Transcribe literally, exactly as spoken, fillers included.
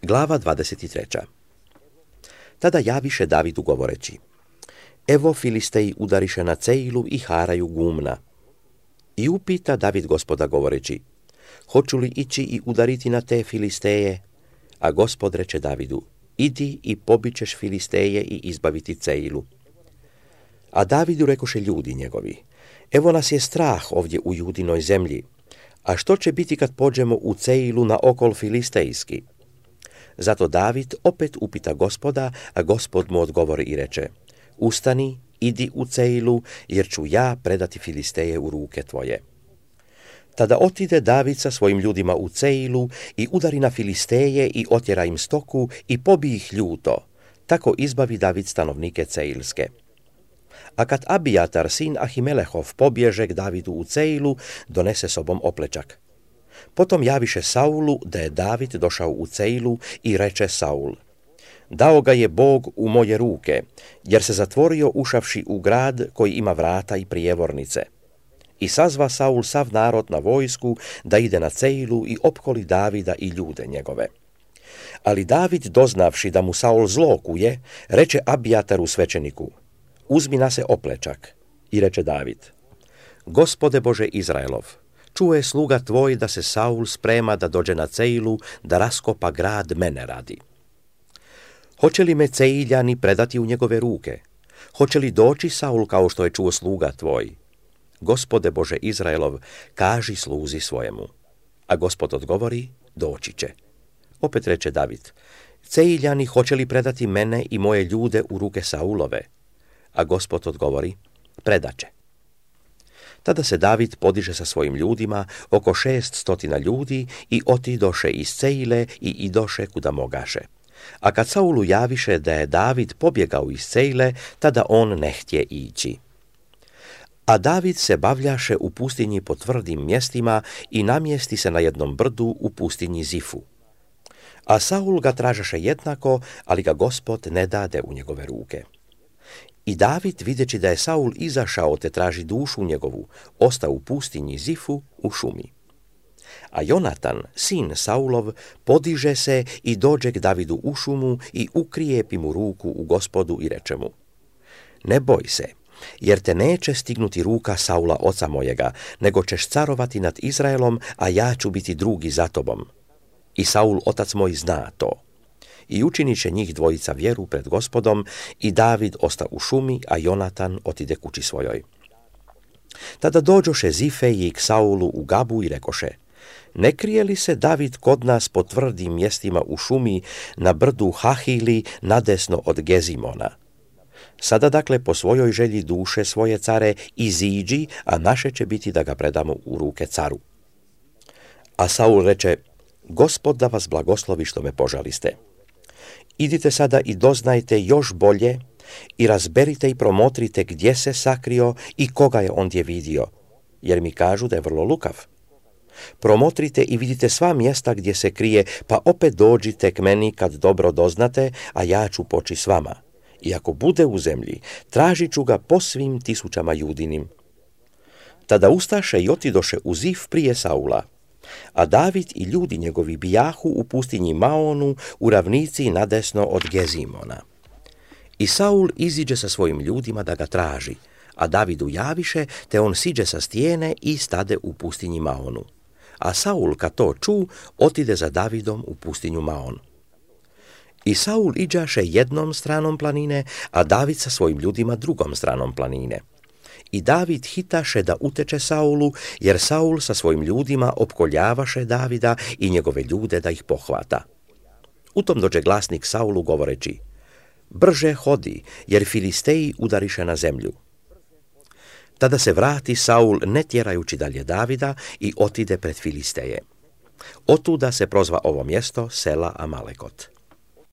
Glava dvadeset treća. Tada javiše Davidu govoreći: Evo Filisteji udariše na Ceilu i haraju gumna. I upita David Gospoda govoreći: Hoću li ići i udariti na te Filisteje? A Gospod reče Davidu: Idi i pobićeš Filisteje i izbaviti Ceilu. A Davidu rekoše ljudi njegovi: Evo nas je strah ovdje u Judinoj zemlji, a što će biti kad pođemo u Ceilu na okol filistejski? Zato David opet upita Gospoda, a Gospod mu odgovori i reče: Ustani, idi u Ceilu, jer ću ja predati Filisteje u ruke tvoje. Tada otide David sa svojim ljudima u Ceilu i udari na Filisteje i otjera im stoku i pobije ih ljuto. Tako izbavi David stanovnike Ceilske. A kad Abijatar, sin Ahimelehov, pobježe k Davidu u Ceilu, donese sobom oplečak. Potom javiše Saulu da je David došao u Ceilu i reče Saul: Dao ga je Bog u moje ruke, jer se zatvorio ušavši u grad koji ima vrata i prijevornice. I sazva Saul sav narod na vojsku da ide na Ceilu i opkoli Davida i ljude njegove. Ali David, doznavši da mu Saul zlokuje, reče Abijataru svećeniku: Uzmi na se oplečak. I reče David: Gospode Bože Izraelov, čuje sluga tvoj da se Saul sprema da dođe na Ceilu, da raskopa grad mene radi. Hoće li me Ceiljani predati u njegove ruke? Hoće li doći Saul kao što je čuo sluga tvoj? Gospode Bože Izraelov, kaži sluzi svojemu. A Gospod odgovori: Doći će. Opet reče David: Ceiljani hoće li predati mene i moje ljude u ruke Saulove? A Gospod odgovori: Predaće. Tada se David podiže sa svojim ljudima, oko šest stotina ljudi, i otidoše iz Ceile i idoše kuda mogaše. A kad Saulu javiše da je David pobjegao iz Ceile, tada on ne htje ići. A David se bavljaše u pustinji po tvrdim mjestima i namjesti se na jednom brdu u pustinji Zifu. A Saul ga tražaše jednako, ali ga Gospod ne dade u njegove ruke. I David, videći da je Saul izašao te traži dušu njegovu, ostao u pustinji Zifu u šumi. A Jonatan, sin Saulov, podiže se i dođe k Davidu u šumu i ukrijepi mu ruku u Gospodu i reče mu: Ne boj se, jer te neće stignuti ruka Saula oca mojega, nego ćeš carovati nad Izraelom, a ja ću biti drugi za tobom. I Saul otac moj zna to. I učinit će njih dvojica vjeru pred Gospodom, i David osta u šumi, a Jonatan otide kući svojoj. Tada dođoše Zifeji k Saulu u Gabu i rekoše: Ne krije li se David kod nas po tvrdim mjestima u šumi na brdu Hahili nadesno od Gezimona? Sada dakle po svojoj želji duše svoje care iziđi, a naše će biti da ga predamo u ruke caru. A Saul reče: Gospod da vas blagoslovi što me požaliste. Idite sada i doznajte još bolje i razberite i promotrite gdje se sakrio i koga je ondje vidio, jer mi kažu da je vrlo lukav. Promotrite i vidite sva mjesta gdje se krije, pa opet dođite k meni kad dobro doznate, a ja ću poći s vama. I ako bude u zemlji, tražit ću ga po svim tisućama judinim. Tada ustaše i otidoše u Zif prije Saula. A David i ljudi njegovi bijahu u pustinji Maonu, u ravnici nadesno od Gezimona. I Saul iziđe sa svojim ljudima da ga traži, a Davidu javiše, te on siđe sa stijene i stade u pustinji Maonu. A Saul, kad to ču, otide za Davidom u pustinju Maon. I Saul iđaše jednom stranom planine, a David sa svojim ljudima drugom stranom planine. I David hitaše da uteče Saulu, jer Saul sa svojim ljudima opkoljavaše Davida i njegove ljude da ih pohvata. U tom dođe glasnik Saulu govoreći: Brže hodi, jer Filisteji udariše na zemlju. Tada se vrati Saul ne tjerajući dalje Davida i otide pred Filisteje. Otuda se prozva ovo mjesto sela Amalekot.